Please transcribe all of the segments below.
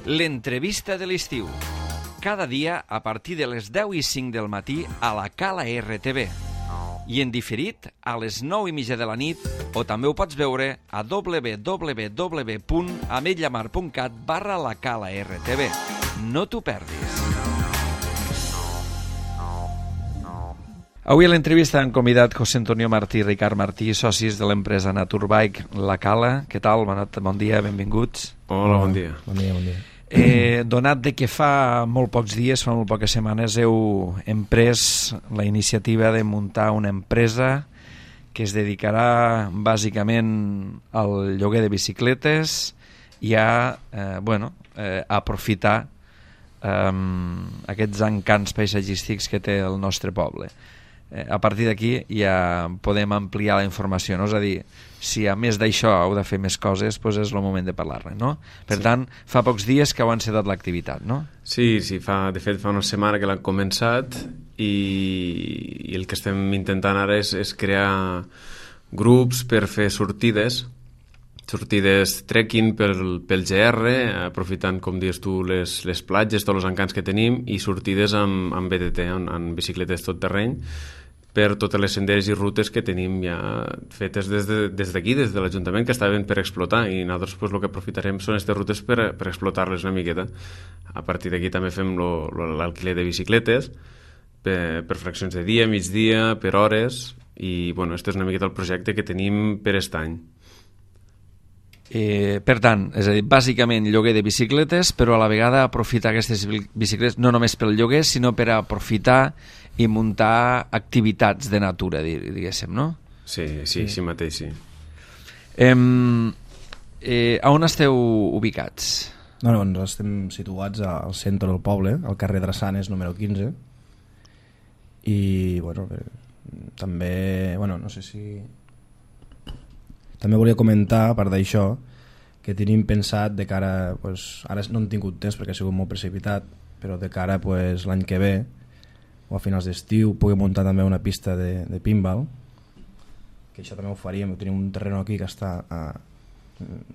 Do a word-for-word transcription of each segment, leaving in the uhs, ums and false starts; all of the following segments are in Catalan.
L'entrevista de l'estiu. Cada dia a partir de les deu i cinc del matí a la Cala R T V. I en diferit a les nou i mitja de la nit, o també ho pots veure a w w w punt ametlla mar punt cat barra la Cala R T V. No t'ho perdis. Avui a l'entrevista han convidat José Antonio Martí i Ricard Martí, socis de l'empresa Naturbike La Cala. Què tal? Bon, bon dia, benvinguts. Hola, bon dia. Bon dia, bon dia. Eh, donat de que fa molt pocs dies, fa molt poques setmanes, heu emprès la iniciativa de muntar una empresa que es dedicarà bàsicament al lloguer de bicicletes i a, eh, bueno, eh, a aprofitar eh, aquests encants paisatgístics que té el nostre poble. Eh, a partir d'aquí ja podem ampliar la informació, no? És a dir, si a més d'això heu de fer més coses, doncs és el moment de parlar-ne, no? Per sí. tant, fa pocs dies que heu encetat l'activitat, no? Sí, sí, fa, de fet fa una setmana que l'han començat i, i el que estem intentant ara és, és crear grups per fer sortides, sortides trekking pel, pel G R, aprofitant, com dius tu, les, les platges, tots els encants que tenim, i sortides amb, amb B T T, amb, amb bicicletes tot terreny, per totes les senderes i rutes que tenim ja fetes des de, des d'aquí, des de l'Ajuntament, que estaven per explotar, i nosaltres pues, el que aprofitarem són aquestes rutes per, per explotar-les una miqueta. A partir d'aquí també fem l'alquiler de bicicletes per, per fraccions de dia, migdia, per hores, i bueno, aquest és una miqueta el projecte que tenim per aquest any. Eh, per tant, és a dir, bàsicament lloguer de bicicletes, però a la vegada aprofitar aquestes bicicletes no només pel lloguer, sinó per aprofitar i muntar activitats de natura, diguéssim, no? Sí, sí, sí mateix, sí. Eh, eh, a on esteu ubicats? No, no, nosaltres estem situats al centre del poble, al carrer Drassanes número quinze, i, bueno, eh, també, bueno, no sé si... També volia comentar, a part d'això, que tenim pensat de cara, pues, ara no hem tingut temps perquè ha sigut molt precipitat, però de cara pues, l'any que ve o a finals d'estiu pugui muntar també una pista de, de pinball, que això també ho faríem. Tenim un terreno aquí que està a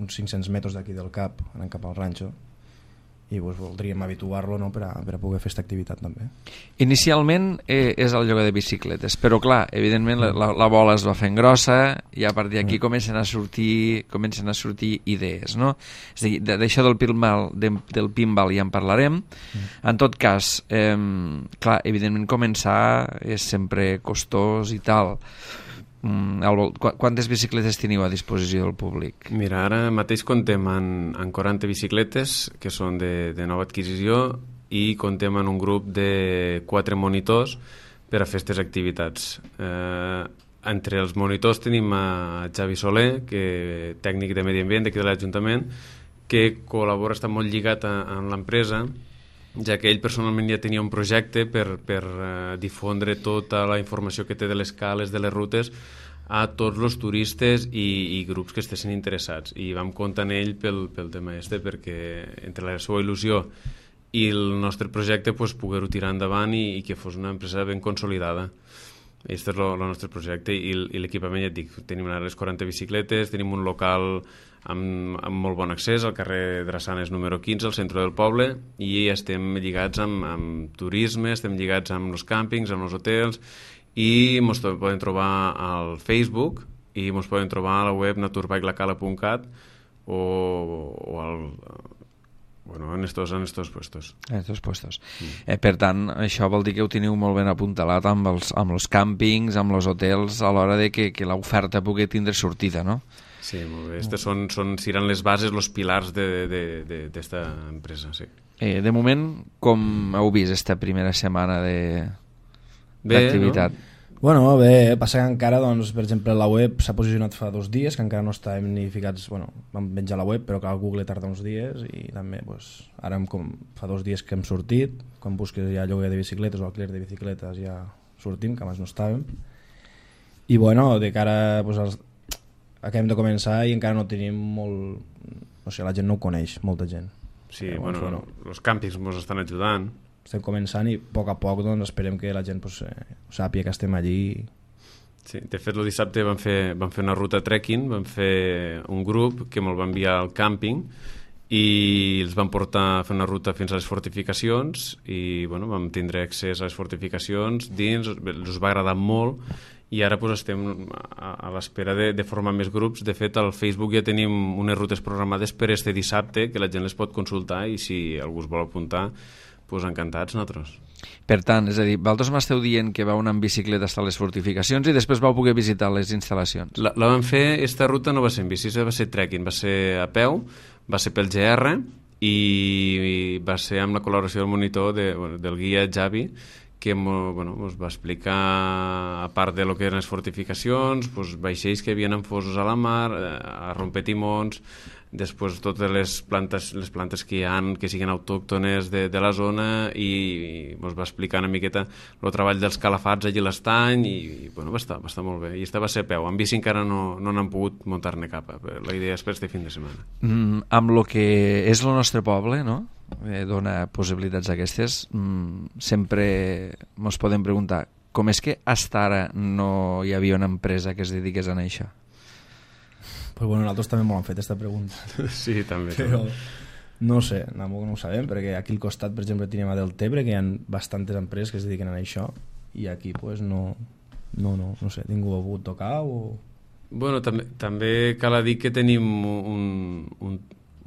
uns cinc-cents metres d'aquí del cap, anant cap al ranxo, i pues, voldríem habituar-lo, no, per, a, per a poder fer aquesta activitat també. Inicialment eh, és el lloguer de bicicletes, però clar, evidentment la, la, la bola es va fent grossa i a partir d'aquí mm. comencen a sortir comencen a sortir idees, no? És a dir, d'això del pinball, de, del pinball ja en parlarem. Mm. En tot cas, eh, clar, evidentment començar és sempre costós i tal. Quantes bicicletes teniu a disposició del públic? Mira, ara mateix contem en, en quaranta bicicletes que són de, de nova adquisició i contem en un grup de quatre monitors per a fer aquestes activitats. Eh, entre els monitors tenim a Xavi Soler, que tècnic de medi ambient d'aquí de l'Ajuntament, que col·labora, està molt lligat a, a l'empresa, ja que ell personalment ja tenia un projecte per, per uh, difondre tota la informació que té de les cales, de les rutes, a tots els turistes i, i grups que estessin interessats. I vam comptar en ell pel, pel tema este, perquè entre la seva il·lusió i el nostre projecte pues, poder-ho tirar endavant i, i que fos una empresa ben consolidada. Aquest és el nostre projecte i, i l'equipament, ja et dic, tenim ara les quaranta bicicletes, tenim un local amb, amb molt bon accés al carrer Drassanes número quinze, al centre del poble, i estem lligats amb, amb turisme, estem lligats amb els càmpings, amb els hotels, i ens poden trobar al Facebook i ens poden trobar a la web naturbike la cala punt cat o, o al... Bueno, en estos, en estos puestos. En estos puestos. Mm. Eh, per tant, això vol dir que ho teniu molt ben apuntalat amb els, amb els càmpings, amb els hotels, a l'hora de que, que l'oferta pugui tindre sortida, no? Sí, molt bé. Estes són, són, seran les bases, els pilars d'esta empresa, sí. Eh, de moment, com heu vist esta primera setmana d'activitat? No? Bueno, bé, passa que encara, doncs, per exemple, la web s'ha posicionat fa dos dies, que encara no estàvem ni ficats, bueno, vam penjar la web, però que el Google tarda uns dies, i també, doncs, ara hem, com, fa dos dies que hem sortit, quan busques ja lloguer de bicicletes o alquiler de bicicletes ja sortim, que abans no estàvem, i bueno, de cara, doncs, als... acabem de començar i encara no tenim molt... O sigui, la gent no ho coneix, molta gent. Sí, però, bueno, bueno, els càmpings ens estan ajudant. Estem començant i a poc a poc doncs, esperem que la gent pues, eh, sàpiga que estem allí. Sí, de fet, el dissabte vam fer, vam fer una ruta trekking, vam fer un grup que me'l va enviar al càmping i els vam portar a fer una ruta fins a les fortificacions i bueno, vam tindre accés a les fortificacions dins, els va agradar molt i ara pues, estem a, a l'espera de, de formar més grups. De fet, al Facebook ja tenim unes rutes programades per este dissabte que la gent les pot consultar i si algú es vol apuntar, pues, encantats nosaltres. Per tant, és a dir, vosaltres m'esteu dient que vau anar en bicicleta fins a les fortificacions i després vau poder visitar les instal·lacions. La, la vam fer, esta ruta no va ser en bici, va ser trekking, va ser a peu, va ser pel G R i, i va ser amb la col·laboració del monitor de, del guia Javi, que bueno, ens va explicar, a part de lo que eren les fortificacions, pues, vaixells que havien enfosos a la mar, a rompetimons, després totes les plantes, les plantes que hi ha que siguin autòctones de, de la zona i, i ens va explicar una miqueta el treball dels calafats allí a l'estany i, i bueno, va estar, va estar molt bé. I esta va ser a peu. En bici encara no, no n'han pogut muntar-ne cap. La idea és per este fin de setmana. Mm, amb el que és el nostre poble, no? Eh, dona possibilitats aquestes, mm, sempre ens podem preguntar com és que fins ara no hi havia una empresa que es dediqués a això? Pues bueno, nosaltres també m'ho han fet aquesta pregunta. Sí, també. Però no sé, no, no ho sabem, perquè aquí al costat, per exemple, tenim a Deltebre, que hi ha bastantes empreses que es dediquen a això, i aquí pues no, no, no, no sé, ningú ha pogut tocar o... Bueno, també, també cal dir que tenim un, un,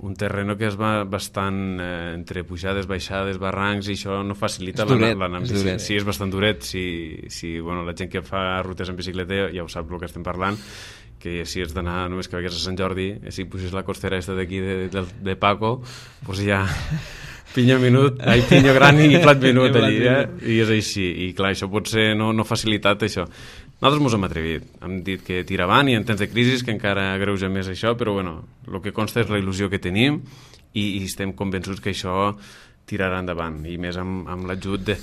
un terreno que és bastant eh, entre pujades, baixades, barrancs, i això no facilita l'anar amb bicicleta. Sí, és bastant duret. Si, si, bueno, la gent que fa rutes en bicicleta ja ho sap el que estem parlant, que si has d'anar només que vagis a Sant Jordi, si puges la costera aquesta d'aquí de, de, de Paco, doncs ja pinyo minut, ai, pinyo gran i plat minut allí, eh? I és així. I clar, això potser no, no ha facilitat això. Nosaltres mos hem atrevit, hem dit que tira avant i en temps de crisi que encara agreuja més això, però bueno, el que consta és la il·lusió que tenim i, i estem convençuts que això tirarà endavant, i més amb, amb l'ajut de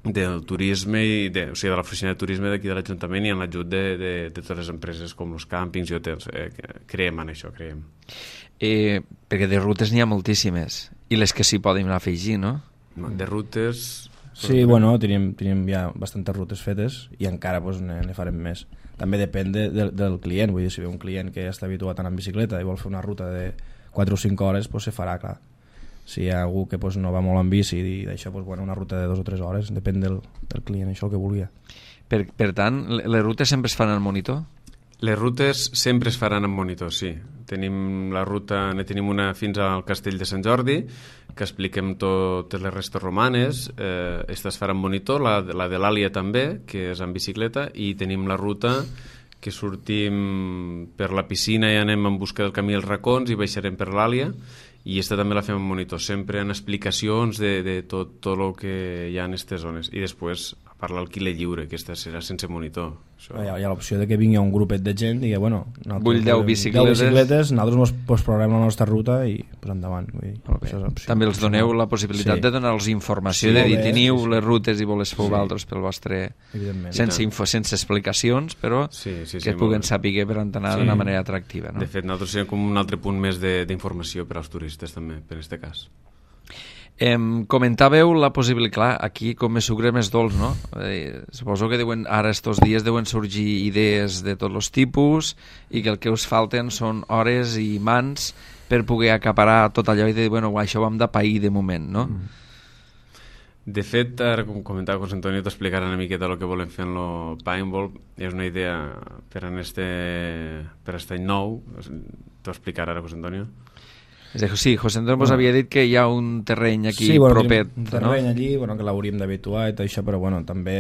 del turisme, i de, o sigui, de l'oficina de turisme d'aquí de l'Ajuntament i en l'ajut de, de, de totes les empreses com els càmpings i hotels. Eh, creiem en això, creiem. Eh, perquè de rutes n'hi ha moltíssimes, i les que s'hi poden afegir, no? De rutes... Sí, bueno, tenim, tenim ja bastantes rutes fetes i encara pues, ne, ne farem més. També depèn de, de, del client, vull dir, si ve un client que està habituat a anar en bicicleta i vol fer una ruta de quatre o cinc hores, pues, se farà, clar. Si hi ha algú que pues, no va molt en bici i d'això, pues, bueno, una ruta de dos o tres hores, depèn del, del client, això el que vulgui. Per, per tant, les rutes sempre es fan al monitor? Les rutes sempre es faran en monitor, sí. Tenim la ruta, ne tenim una fins al Castell de Sant Jordi, que expliquem totes les restes romanes, eh, esta es farà en monitor, la, la de l'Àlia també, que és en bicicleta, i tenim la ruta que sortim per la piscina i anem en busca del camí als racons i baixarem per l'Àlia, i aquesta també la fem en monitor, sempre en explicacions de, de tot, tot el que hi ha en aquestes zones. I després, a part l'alquiler lliure, que aquesta serà sense monitor. Això... Hi ha, hi ha l'opció de que vingui un grupet de gent i digui, bueno, vull deu bicicletes, deu bicicletes, nosaltres pues, programem la nostra ruta i pues, endavant. Vull dir, això és també els doneu la possibilitat sí. de donar-los informació, sí, de dir, teniu sí, sí. les rutes i voles fer vosaltres sí. pel vostre... Sense, info, sense explicacions, però sí, sí, sí, que sí, puguen saber per anar sí. d'una manera atractiva. No? De fet, nosaltres serem com un altre punt més d'informació per als turistes també, per aquest cas. Eh, comentàveu la possibilitat, clar, aquí com més sucre més dolç, no? Eh, suposo que deuen, ara estos dies deuen sorgir idees de tots els tipus i que el que us falten són hores i mans per poder acaparar tot allò i dir, bueno, això ho hem de pair de moment, no? De fet, ara com comentava José Antonio, t'explicarà una miqueta el que volem fer en el paintball. És una idea per a este, per aquest any nou. T'ho explicarà ara, José Antonio? Sí, José Antonio bueno. havia dit que hi ha un terreny aquí sí, bueno, propet. Un terreny no? allí bueno, que l'hauríem d'habituar i tot això, però bueno, també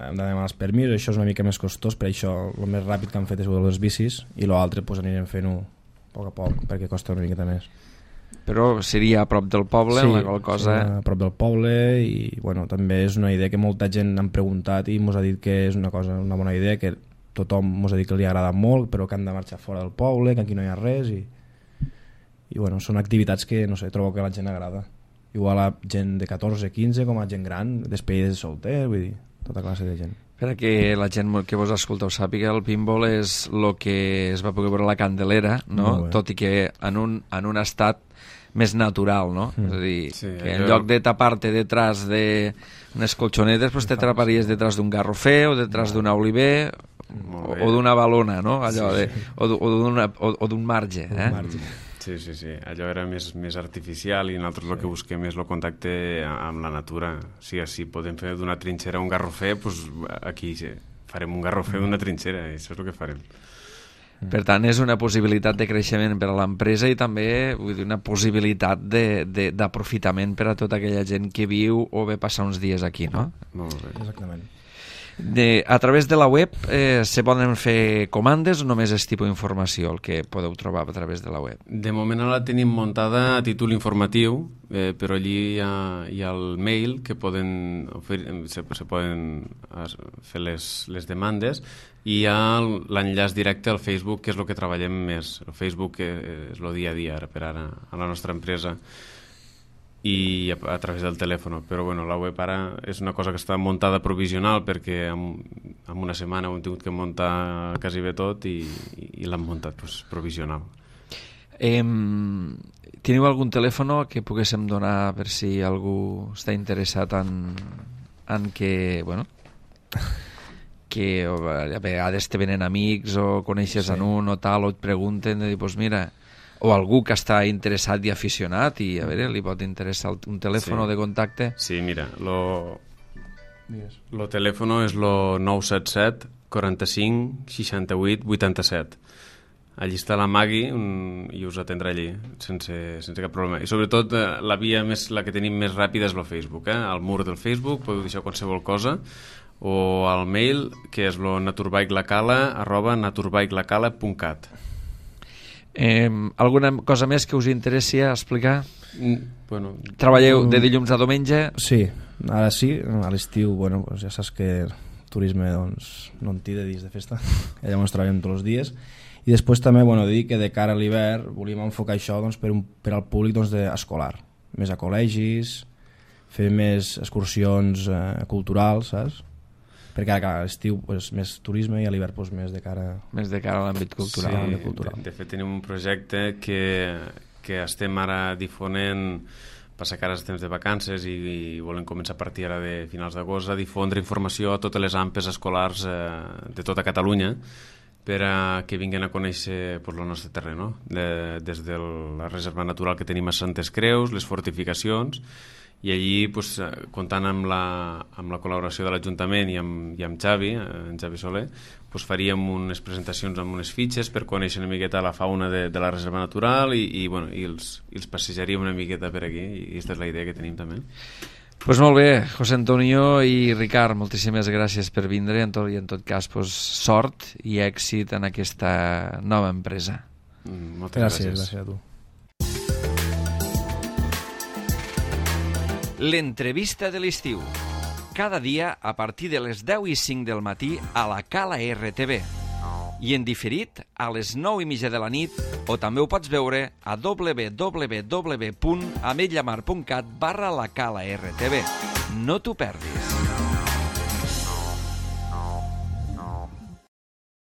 hem de demanar els permisos, això és una mica més costós, per això el més ràpid que han fet és les bicis i l'altre pues, anirem fent-ho a poc a poc perquè costa una miqueta més. Però seria a prop del poble, sí, la qual cosa... a prop del poble i bueno, també és una idea que molta gent han preguntat i mos ha dit que és una cosa, una bona idea, que tothom mos ha dit que li ha agradat molt, però que han de marxar fora del poble, que aquí no hi ha res i... i bueno, són activitats que no sé, trobo que a la gent agrada, igual a gent de catorze, quinze com a gent gran, despedides de solter, vull dir, tota classe de gent. Per que la gent que vos escolteu sàpiga, el pinball és el que es va poder veure a la Candelera, no? Tot i que en un, en un estat més natural, no? Mm. És a dir, sí, que en jo... lloc de tapar-te detrás d'unes colxonetes, pues te traparies detrás d'un garrofer o detrás d'un oliver o, o d'una balona, no? Allò sí, de, o, o d'un marge, eh? marge. Sí, Sí, sí, sí. Allò era més, més artificial i nosaltres sí. el que busquem és el contacte amb la natura. O sigui, si podem fer d'una trinxera un garrofer, doncs aquí sí, farem un garrofer d'una trinxera, i això és el que farem. Per tant, és una possibilitat de creixement per a l'empresa i també vull dir, una possibilitat d'aprofitament per a tota aquella gent que viu o ve passar uns dies aquí, no? Molt bé. Exactament. De, a través de la web eh, se poden fer comandes o només és tipus d'informació el que podeu trobar a través de la web? De moment la tenim muntada a títol informatiu, eh, però allí hi ha, hi ha el mail que poden oferir, se, se poden fer les, les demandes, i hi ha l'enllaç directe al Facebook, que és el que treballem més. El Facebook és el dia a dia ara, per ara a la nostra empresa, i a, a través del telèfon, però bueno, la web ara és una cosa que està muntada provisional perquè en, en una setmana ho hem tingut que muntar quasi bé tot i, i, i l'hem muntat pues, provisional. Eh, teniu algun telèfon que poguéssim donar per si algú està interessat en, en que, bueno, que a vegades te venen amics o coneixes sí. en un o tal, o et pregunten de dir, pues mira, o algú que està interessat i aficionat i a veure, li pot interessar un telèfon sí. de contacte. Sí, mira, lo, lo telèfon és lo nou set set quaranta-cinc seixanta-vuit vuitanta-set. Allí està la Magui un, i us atendrà allí sense, sense cap problema. I sobretot la via més, la que tenim més ràpida és el Facebook, eh? Al mur del Facebook podeu deixar qualsevol cosa, o al mail que és lo naturbikelacala arroba naturbikelacala punt cat. Eh, alguna cosa més que us interessi explicar? Mm, bueno, Treballeu de dilluns a diumenge? Sí, ara sí, a l'estiu, bueno, pues ja saps que el turisme doncs, no en té de dies de festa, llavors treballem tots els dies, i després també bueno, dir que de cara a l'hivern volíem enfocar això doncs, per, un, per al públic doncs, de, escolar, més a col·legis, fer més excursions eh, culturals, saps? Perquè ara, a l'estiu pues, més turisme i a l'hivern pues, més de cara més de cara a l'àmbit cultural. Sí, de, cultural. De, de fet tenim un projecte que, que estem ara difonent, passa que ara estem de vacances i, i volem començar a partir ara de finals d'agost a difondre informació a totes les ampes escolars eh, de tota Catalunya per a que vinguin a conèixer pues, el nostre terreny, no? de, des de la reserva natural que tenim a Santes Creus, les fortificacions, i allí, pues, comptant amb la, amb la col·laboració de l'Ajuntament i amb, i amb Xavi, en Xavi Soler, pues, faríem unes presentacions amb unes fitxes per conèixer una miqueta la fauna de, de la reserva natural i, i, bueno, i, els, i els passejaríem una miqueta per aquí, i aquesta és la idea que tenim també. Pues molt bé, José Antonio i Ricard, moltíssimes gràcies per vindre, en tot, i en tot cas pues, sort i èxit en aquesta nova empresa. Mm, moltes gràcies. Gràcies, gràcies a tu. L'entrevista de l'estiu. Cada dia a partir de les deu i cinc del matí a la Cala R T V. I en diferit a les nou i mitja de la nit, o també ho pots veure a w w w punt ametlllamar punt cat barra la Cala R T V. No t'ho perdis.